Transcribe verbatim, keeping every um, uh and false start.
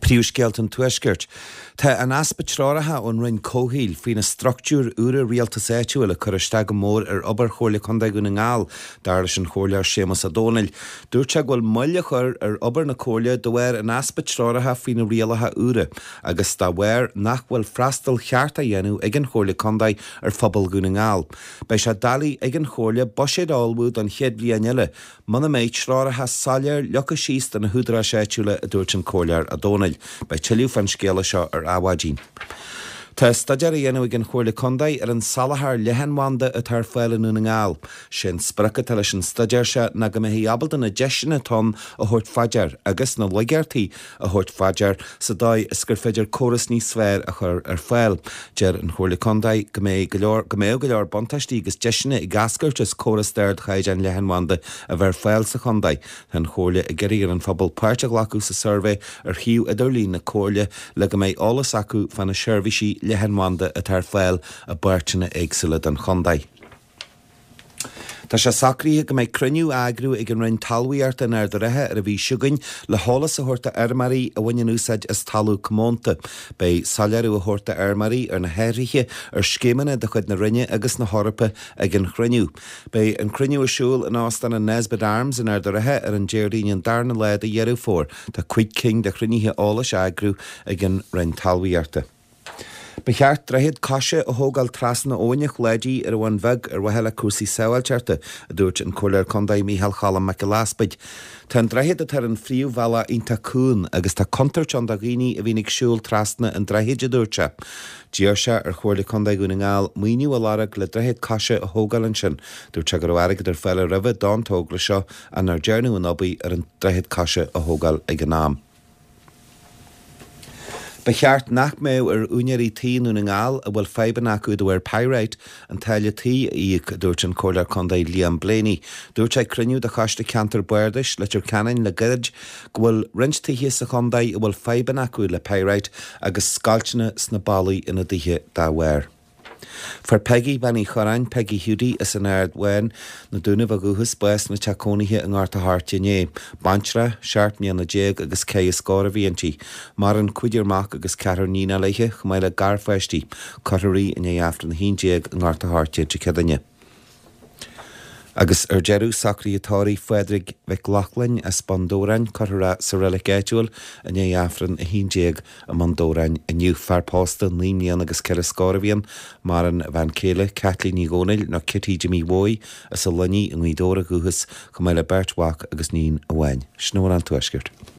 Príomhscéalta an Tuaiscirt. Tá an easpa treoracha ón Roinn Comhshaoil faoi na struchtúir úra rialtais áitiúil ag cur isteach go mór ar obair Chomhairle Contae Dhún na nGall, dar leis an Chomhairleoir Séamus Ó Dónaill. Dúirt sé go bhfuil moill á chur ar obair na Comhairle de bharr an easpa treoracha faoi na rialacha úra agus dá bharr nach bhfuil freastal ceart á dhéanamh ag an Chomhairle Contae ar phobal Dhún na nGall. Beidh sé doiligh ag an Chomhairle buiséad a ullmhú don chéad bhliain eile muna mbeidh treoracha soiléir leagtha síos do na húdaráis áitiúla, a dúirt an Comhairleoir Ó Dónaill. Beidh tuilleadh fán scéala seo ar Adhmhaidin. Tá staidéar á dhéanamh ag an Chomhairle Contae ar an soláthar leathanbhanda atá ar fáil i nDún na nGall. Sé an sprioc atá leis an staidéar seo ná go mbeifí ábalta na deiseanna atá ann a thabhairt fá dear agus na laigeachtaí a thabhairt fá dear sa dóigh is gur féidir córas níos fearr a chur ar fáil. Deir an Chomhairle Contae go mbeidh go leor go mbeadh go leor buntáistí agus deiseanna ag eascairt as córas d'ardchaighdeán leathanbhanda a bheith ar fáil sa chontae. Tá an Chomhairle ag iarraidh ar an phobal páirt a ghlacadh sa suirbhé ar shuíomh idirlín na Comhairle le go mbeidh eolas acu fá na seirbhísí leathanbhanda atá ar fáil i bpáirteanna éagsúla den chontae. Tá sé socraithe go mbeidh cruinniú á eagrú ag an Roinn Talmhaíochta in Ard an Rátha ar an mhí seo chugainn le heolas a thabhairt do fheirmeoirí a bhaineann úsáid as talamh comónta. Beidh soiléiriú á thabhairt do fheirmeoirí ar na hathruithe ar scéimeanna de chuid na Roinne agus na hEorpa ag an chruinniú. Beidh an cruinniú ar siúl in Óstán an Nesbitt Arms in Ard an Rátha ar an Déardaoin an darna lá de Dheireadh Fómhair. Tá cúig cinn de chruinnithe eolais á eagrú ag an Roinn Talmhaíochta. Ba cheart droichead coise a thógáil trasna Abhainn an Chladaigh ar an Bhun Bheag ar mhaithe le cúrsaí sábháilteachta, a dúirt an Comhairleoir Contae Micheál Cholm Mac Giolla Easpaig. Tá an droichead atá ar an phríomhbhealach iontach cúng agus tá contúirt ann do dhaoine a bhíonn ag siúl trasna an droichid, a dúirt sé. D'iarr sé ar Chomhairle Contae Dhún na nGall maoiniú a lorg le droichead coise a thógáil ansin. Dúirt sé go raibh airgead ar fáil roimhe don togra seo ach nár dearnadh an obair ar an droichead coise a thógáil ag an am. Ba cheart nach mbeadh ar úinéirí tí i Ndún na nGall a bhfuil fadhbanna acu de bharr pyrite an táille tí a íoc, a dúirt an Comhairleoir Contae Liam Blaney. Dúirt sé ag cruinniú de Choiste Ceantair Bardais Leitir Ceanainn le gairid go bhfuil roinnt tithe sa chontae a bhfuil fadhbanna acu le pyrite agus scoilteanna sna ballaí ina dtithe dá bharr. Fuair Peggy Bean Uí Chorráin, Peggy Hiúdaí as an Aird Bháin, na Dúnaibh ó dhúchas, bás ina teach cónaithe i nGort a' Choirce inné. Baintreach, seacht mbliana déag agus ceithre scór a bhí inti. Maireann cúigear mac agus ceathrar níonacha léi, chomh maith le garpháistí. Cuirfear í i ndiaidh Aifreann a haon déag i nGort a' Choirce Dé Céadaoine. Agus ar deireadh, socruithe tórraimh Phádraig Mhic Lochlainn as Bun Dobhráin, cuirfear é sa reilig áitiúil i ndiaidh Aifreann a haon déag i mBun Dobhráin inniu. Fear pósta naoi mbliana agus ceithre scór a bhí ann. Maireann a bhean chéile, Caitlín Ní Dhomhnaill, nó Kitty Jimmy Mhóí, as an Luinnigh i nGaoth Dobhair ó dhúchas, chomh maith le beirt mhac agus níon amháin. Sin a bhfuil ón Tuaisceart.